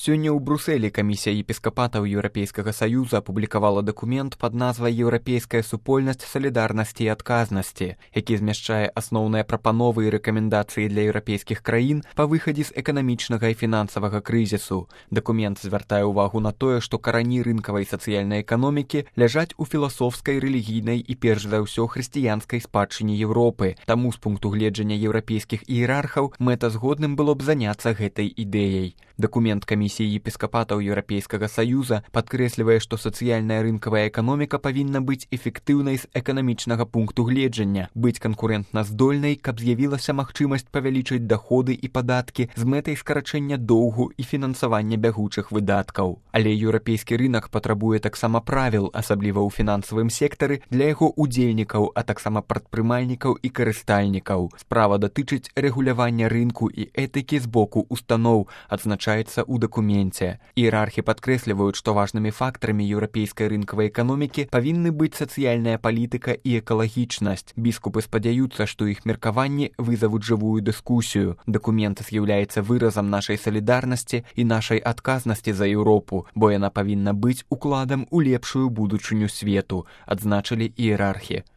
Сёння ў Брусэлі камісія епіскапатаў Еўрапейскага Саюза апублікавала дакумент пад назвай «Еўрапейская супольнасць салідарнасці і адказнасці», які змяшчае асноўныя прапановы і рэкамендацыі для еўрапейскіх краін па выхадзе з эканамічнага і фінансавага крызісу. Дакумент звяртае ўвагу на тое, што карані рынкавай сацыяльнай эканомікі ляжаць у філасофскай, рэлігійнай і перш за ўсё хрысціянскай спадчыне Еўропы. Таму з пункту гледжання еўрапейскіх іерархаў мэтазгодным было б заняцца гэтай ідэяй. Дакумент камісіі епіскапатаў Еўрапейскага Саюза падкрэслівае, што сацыяльная рынкавая эканоміка павінна быць эфектыўнай з эканамічнага пункту гледжання, быць канкурэнтна здольнай, каб з'явілася магчымасць павялічыць даходы і падаткі з мэтай скарачэння доўгу і фінансавання бягучых выдаткаў. Але еўрапейскі рынак патрабуе таксама правіл, асабліва ў фінансавым сектары, для яго удзельнікаў, а таксама прадпрымальнікаў і карыстальнікаў. Справа датычыць рэгулявання рынку і этыкі з боку устаноў, адзначаецца ў дакуменце. Іерархі падкрэсліваюць, што важнымі фактарамі еўрапейскай рынкавай эканомікі павінны быць сацыяльная палітыка і экалагічнасць. Біскупы спадзяюцца, што іх меркаванні вызавуць жывую дыскусію. Дакумент з'яўляецца выразам нашай салідарнасці і нашай адказнасці за Еўропу, бо яна павінна быць укладам у лепшую будучыню свету, адзначылі іерархі.